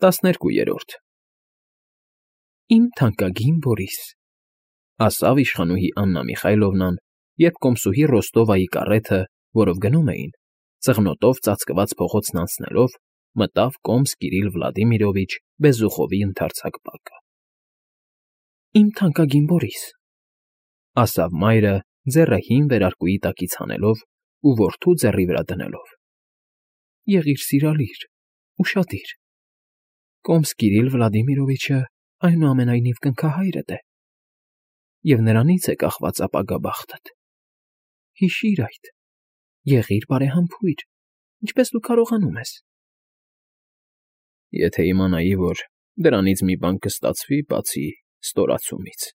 12 Իմ թանկագին Բորիս, ասավ իշխանուհի Աննա Միխայլովնան, երբ կոմսուհի Ռոստովայի կառեթը, որով գնում էին, ծղնոտով ծածկված փողոցն անցնելով, մտավ կոմս Կիրիլ Վլադիմիրովիչ Բեզուխովի ընդարձակ բակը։ Իմ թանկագին Բորիս, ասավ մայրը, ձեռը հին վերարկուի տակից հանելով ու որդու ձեռի վրա դնելով։ Եղիր սիրալիր, ուշադիր։ Կոմս Կիրիլ Վլադիմիրովիչը այնուամենայնիվ կնքահայրդ է, և նրանից է կախված ապագա բախտդ։ Հիշիր այդ, եղիր բարեհամբույր, ինչպես դու կարողանում ես։ Եթե իմանայի, որ դրանից մի բան կստացվի, բացի ստորացումից,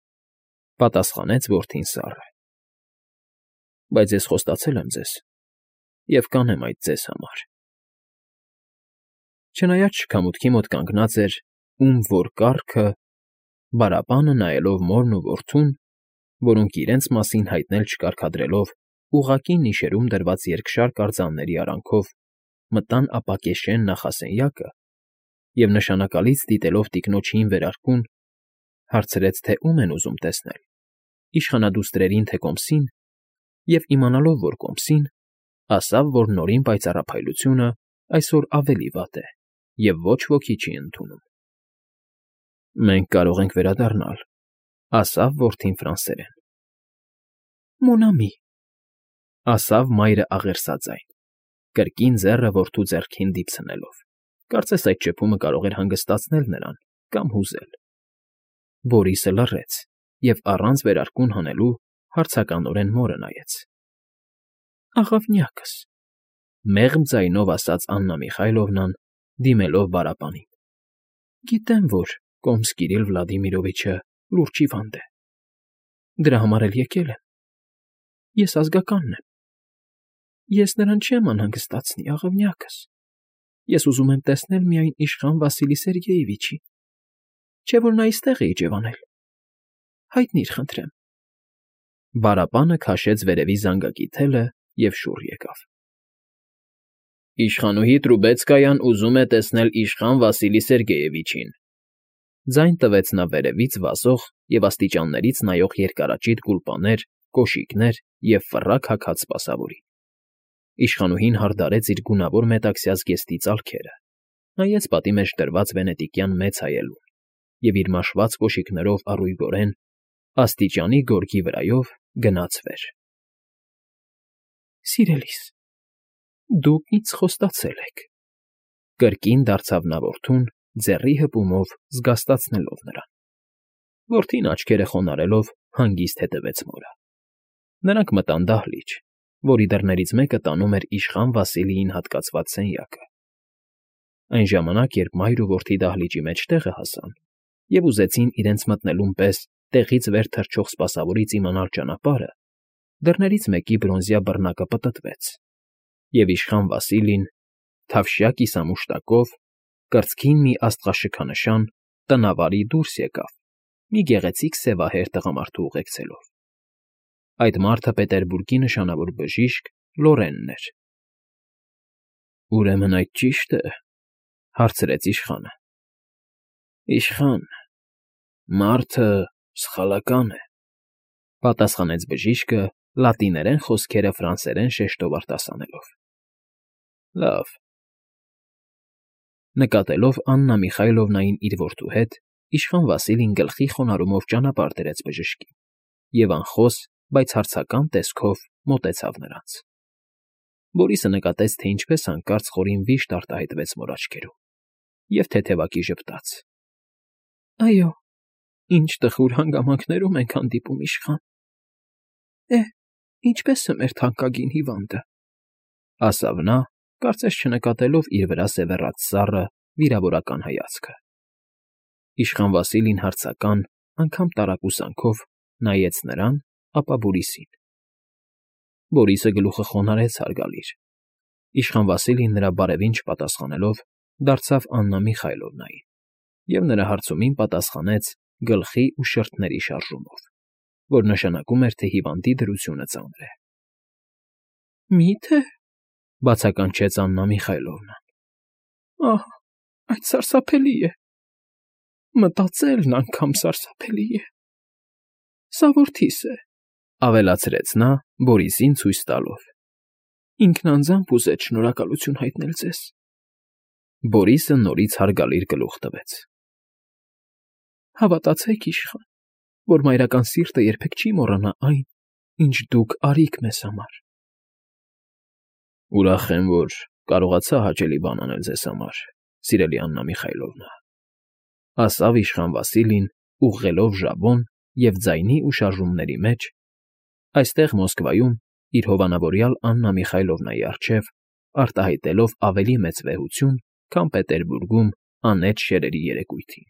պատասխանեց որդին սառը։ Բայց ես խոստացել եմ ձեզ և կանեմ այդ ձեզ համար։ Չնայած շքամուտքի մոտ կանգնած էր, ում որ կառքը, Բարապանը նայելով մորն ու որդուն, որոնք իրենց մասին հայտնել չկարգադրելով ուղղակի նիշերում դրված երկշարք արձանների արանքով մտան ապակեշեն նախասենյակը և նշանակալից դիտելով տիկնոջ հին վերարկուն, հարցրեց, թե ում են ուզում տեսնել, իշխանադուստրերին, թե կոմսին, և իմանալով, որ կոմսին, ասավ, որ նորին պայծառափայլությունը այսօր ավելի վատ է և ոչ ոքի չի ընդունում։ Մենք կարող ենք վերադառնալ, ասավ որդին ֆրանսերեն։ Մոն ամի, ասավ մայրը աղերսաձայն, կրկին ձեռը որդու ձեռքին դիպցնելով, կարծես այդ շփումը կարող էր հանգստացնել նրան կամ հուզել։ Բորիսը լռեց և առանց վերարկուն հանելու հարցականորեն մորը նայեց։ Աղավնյակս, մեղմ ձայնով ասաց Աննա Միխայլովնան, դիմելով Բարապանին։ Գիտեմ, որ կոմս Կիրիլ Վլադիմիրովիչը լուրջ հիվանդ է։ Դրա համար էլ եկել եմ։ Ես ազգականն եմ։ Ես նրան չեմ անհանգստացնի, աղավնյակս։ Ես ուզում եմ տեսնել միայն իշխան Վասիլի Սերգեյևիչին, չէ՞ որ նա այստեղ է իջևանել։ Հայտնիր, խնդրեմ։ Բարապանը քաշեց վերևի զանգակի թելը և շուռ եկավ։ Իշխանուհի Տրուբեցկայան ուզում է տեսնել իշխան Վասիլի Սերգեյևիչին։ Ձայն տվեց նա վերևից վազող և աստիճաններից նայող երկարաճիտ գուլպաներ, կոշիկներ և ֆռակ հագած սպասավորին։ Իշխանուհին հարդարեց իր գունավոր մետաքսյա զգեստի ծալքերը, նայեց պատի մեջ դրված վենետիկյան մեծ հայելուն և իր մաշված կոշիկներով առույգորեն, աստիճանի գորգի վրայով գնաց վեր։ Սիրելիս, դուք ինձ խոստացել եք, կրկին դարձավ նա որդուն, ձեռի հպումով զգաստացնելով նրան։ Որդին աչքերը խոնարհելով հանգիստ հետևեց մորը։ Նրանք մտան դահլիճ, որի դռներից մեկը տանում էր իշխան Վասիլիին հատկացված սենյակը։ Այն ժամանակ, երբ մայր ու որդի դահլիճի մեջտեղը հասան և ուզեցին իրենց մտնելուն պես տեղից վեր թռչող սպասավորից իմանալ ճանապարհը, դռներից մեկի բրոնզյա բռնակը պտտվեց, և իշխան Վասիլին, թավշյա կիսամուշտակով, կրծքին մի աստղաշքանշան, տնավարի դուրս եկավ, մի գեղեցիկ սևահեր տղամարդու ուղեկցելով։ Այդ մարդը Պետերբուրգի նշանավոր բժիշկ Լորենն էր։ Ուրեմն այդ ճի՞շտ է, հարցրեց իշխանը։ Իշխան, մարդը սխալական է, պատասխանեց բժիշկը լատիներեն խոսքերը ֆրանսերեն շեշտով արտասանելով։ Լավ։ Նկատելով Աննա Միխայլովնային իր որդու հետ, իշխան Վասիլին գլխի խոնարհումով ճանապարհ դրեց բժշկին և անխոս, բայց հարցական տեսքով մոտեցավ նրանց։ Բորիսը նկատեց, թե ինչպես հանկարծ խորին վիշտ արտահայտվեց մոր աչքերում և թեթևակի ժպտաց։ Այո, ինչ տխուր հանգամանքներում ենք հանդիպում, իշխան։ Ինչպե՞ս է մեր թանկագին հիվանդը, ասավ նա, կարծես չնկատելով իր վրա սևեռած սառը, վիրավորական հայացքը։ Իշխան Վասիլին հարցական, անգամ տարակուսանքով նայեց նրան, ապա Բորիսին։ Բորիսը գլուխը խոնարհեց հարգալիր։ Իշխան Վասիլին նրա բարևին չպատասխանելով, դարձավ Աննա Միխայլովնային և նրա հարցումին պատասխանեց գլխի ու շրթների շարժումով, որ նշանակում էր, թե հիվանդի դրությունը ծանր է։ Մի՞թե, բացականչեց Աննա Միխայլովնան։ Այդ սարսափելի է։ Մտածելն անգամ սարսափելի է։ Սա որդիս է, Ավելացրեց նա Բորիսին ցույց տալով։ ինքն անձամբ ուզեց շնորհակալություն հայտնել ձեզ։ Բորիսը նորից հարգալիր գլուխ տվեց։ Հավատացեք, իշխան, որ մայրական սիրտը երբեք չի մոռանա այն, ինչ դուք արիք մեզ համար։ Ուրախ եմ, որ կարողացա հաճելի բան անել ձեզ համար, սիրելի Աննա Միխայլովնա, ասավ իշխան Վասիլին, ուղղելով ժաբոն և ձայնի ու շարժումների մեջ, այստեղ Մոսկվայում իր հովանավորյալ Աննա Միխայլովնայի առջև արտահայտելով ավելի մեծ վեհություն, քան Պետերբուրգում անետ շերերի երեկույթին։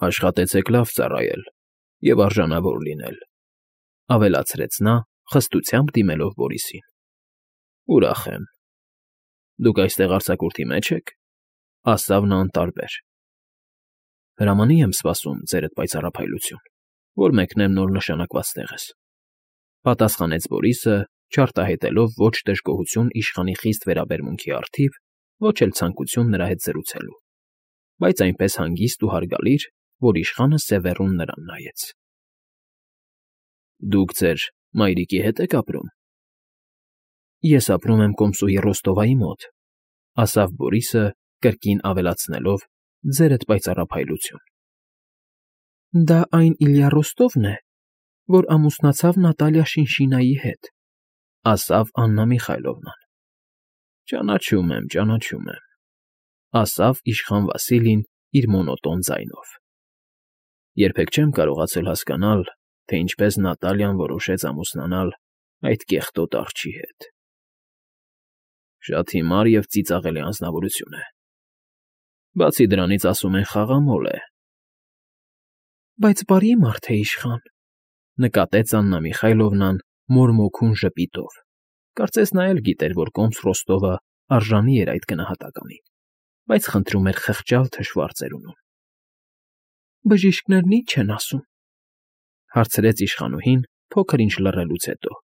Աշխատեցեք լավ ծառայել և արժանավոր լինել, ավելացրեց նա, խստությամբ դիմելով Բորիսին։ Ուրախ եմ։ Դուք այստեղ արձակուրդի մեջ եք, ասավ նա անտարբեր։ Հրամանի եմ սպասում, ձերդ պայծառափայլություն, որ մեկնեմ նոր նշանակված տեղս, պատասխանեց Բորիսը, չարտահայտելով ոչ դժգոհություն իշխանի խիստ վերաբերմունքի առթիվ, ոչ էլ ցանկություն նրա հետ զրուցելու, բայց այնպես հանգիստ ու հարգալիր, որ իշխանը սևեռուն նրան նայեց։ Դուք ձեր մայրիկի հետ եք ապրում։ Ես ապրում եմ Կոմսուի Ռոստովայի մոտ, ասավ Բորիսը, կրկին ավելացնելով ձերդ պայծառափայլություն։ Դա այն Իլյա Ռոստովն է, որ ամուսնացավ Նատալիա Շինշինայի հետ, ասավ Աննա Միխայլովնան։ Ճանաչում եմ, ասավ իշխան Վասիլին իր մոնոտոն ձայնով։ Երբեք չեմ կարողացել հասկանալ, թե ինչպես Նատալիան որոշեց ամուսնանալ այդ կեղտոտ արջի հետ։ Շատ հիմար և ծիծաղելի անձնավորություն է։ Բացի դրանից ասում են խաղամոլ է։ Բայց բարի մարդ է իշխան, նկատեց Աննա Միխայլովնան մորմոքուն ժպիտով։ Կարծես նա էլ գիտեր, որ Կոմս Ռոստովը արժանի էր այդ գնահատականին, բայց խնդրում էր խղճալ թշվառ ծերունուն։ Բժիշկներն ի՞նչ են ասում, հարցրեց իշխանուհին փոքր ինչ լռելուց հետո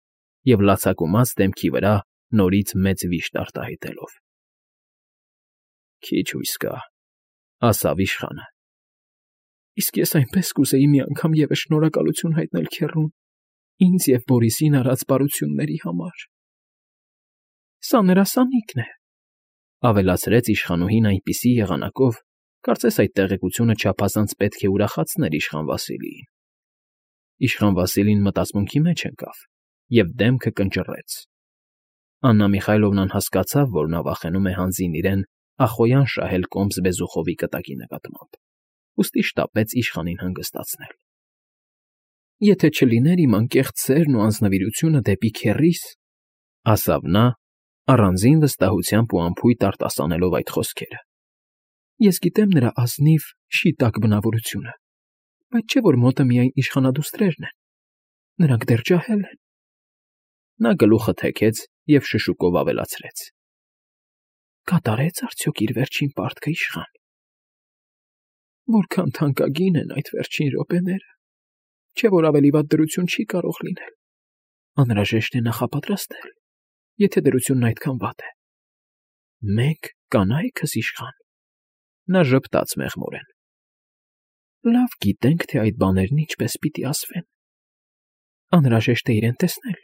և լացակումած դեմքի վրա նորից մեծ վիշտ արտահայտելով։ Քիչ հույս կա, ասավ իշխանը։ Իսկ ես այնպես կուզեի մի անգամ ևս շնորհակալություն հայտնել քեռուն ինձ և Բորիսին արած բարությունների համար։ Սա նրա սանիկն է, ավելացրեց իշխանուհին այնպիսի եղանակով, կարծես այդ տեղեկությունը չափազանց պետք է ուրախացներ իշխան Վասիլիին։ Իշխան Վասիլին մտածմունքի մեջ ընկավ և դեմքը կնճռեց։ Աննա Միխայլովնան հասկացավ, որ նա վախենում է հանձին իրեն ախոյան շահել Կոմս Բեզուխովի կտակի նկատմամբ, ուստի շտապեց իշխանին հանգստացնել։ Եթե չլիներ իմ անկեղծ սերն ու անձնվիրությունը դեպի քեռիս, ասավ նա, առանձին վստահությամբ ու անփույթ արտասանելով այդ խոսքերը։ Ես գիտեմ նրա ազնիվ, շիտակ բնավորությունը, բայց չէ որ մոտը միայն իշխանադուստրերն են։ Նրանք դեռ ջահել են։ Նա գլուխը թեքեց և շշուկով ավելացրեց. Կատարեց արդյոք իր վերջին պարտքը իշխան։ Որքան թանկագին են այդ վերջին րոպեները, չէ որ ավելի վատ դրություն չի կարող լինել։ Անհրաժեշտ է նախապատրաստել, եթե դրությունն այդքան վատ է։ Մենք կանայքս իշխան։ Նա ժպտաց մեղմորեն։ Լավ գիտենք, թե այդ բաներն ինչպես պիտի ասվեն։ Անհրաժեշտ է իրեն տեսնել,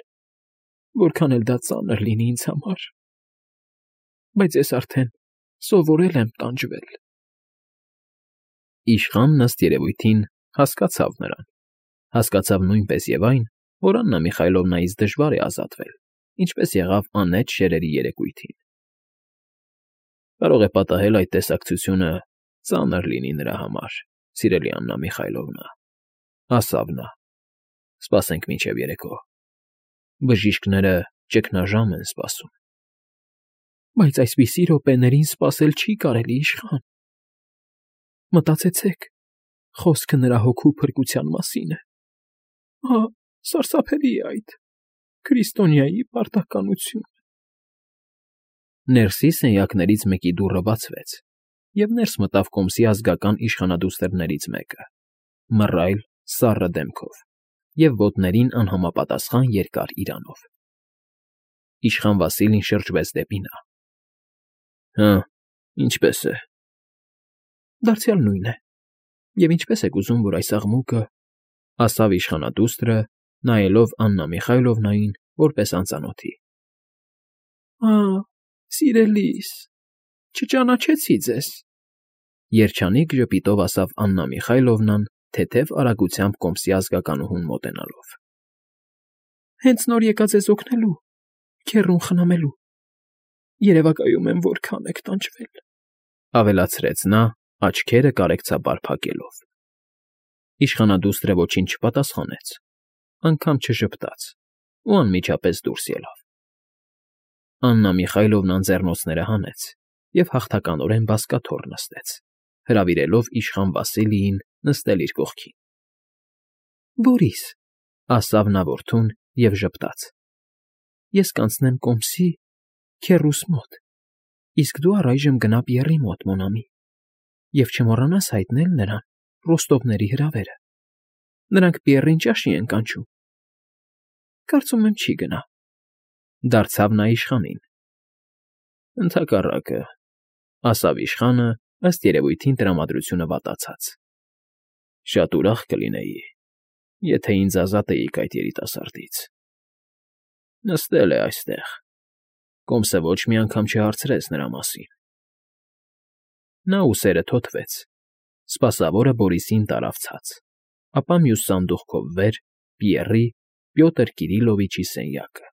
որքան էլ դա ծանր լինի ինձ համար։ Բայց ես արդեն սովորել եմ տանջվել։ Իշխանն ըստ երևույթին հասկացավ նրան, հասկացավ նույնպես և այն, որ Աննա Միխայլովնայից դժվար է ազատվել, ինչպես եղավ անետ շերերի երեկույթին։ Կարող է պատահել այդ տեսակցությունը ծանր լինի նրա համար, սիրելի Աննա Միխայլովնա, ասավ նա։ Սպասենք մինչև երեկո։ Բժիշկները ճգնաժամ են սպասում։ Բայց այսպիսի րոպեներին սպասել չի կարելի իշխան։ Մտածեցեք, խոսքը նրա հոգու փրկության մասին է։ Ահա, սարսափելի է այդ, քրիստոնյայի պարտականություն։ Ներսի սենյակներից մեկի դուռը բացվեց, և ներս մտավ Կոմսի ազգական իշխանադուստրներից մեկը, մռայլ, սառը դեմքով և ոտներին անհամապատասխան երկար իրանով։ Իշխան Վասիլին շրջվեց դեպի նա։ Հը, Ինչպե՞ս է։ Դարձյալ նույն է։ Եվ ինչպես եք ուզում, որ այս աղմուկը, ասավ իշխանադուստրը, նայելով Աննա Միխայլովնային որպես անծանոթի։ Սիրելիս, չճանաչեցի ձեզ, երջանիկ ժպիտով ասավ Աննա Միխայլովնան, թեթև արագությամբ կոմսի ազգականուհուն մոտենալով։ Հենց նոր եկա ձեզ օգնելու, քեռուն խնամելու։ Երևակայում եմ, որքան եք տանջվել, ավելացրեց նա, աչքերը կարեկցաբար փակելով։ Իշխանադուստրը ոչինչ չպատասխանեց, անգամ չժպտաց ու անմիջապես դուրս ելավ։ Աննա Միխայլովնան ձեռնոցները հանեց և հաղթականորեն բազկաթոռ նստեց, հրավիրելով իշխան Վասիլիին նստել իր կողքին։ Բորիս, ասավ նա որդուն և ժպտաց, ես կանցնեմ կոմսի քեռուս մոտ, իսկ դու առայժմ գնա Պիեռի մոտ, մոնամի, և չմոռանաս հայտնել նրան Ռոստովների հրավերը։ Նրանք Պիեռին ճաշի են կանչում։ Կարծում եմ չի գնա, դարձավ նա իշխանին։ Ընդհակառակը, ասավ իշխանը, ըստ երևույթին տրամադրությունը վատացած։ Շատ ուրախ կլինեի, եթե ինձ ազատեիք այդ երիտասարդից։ Նստել է այստեղ, կոմսը ոչ մի անգամ չհարցրեց նրա մասին։ Նա ուսերը թոթվեց, սպասավորը Բորիսին տարավ ցած, ապա մյուս սանդուղքով վեր Պիեռի Պյոտր Կիրիլովիչի սենյակը։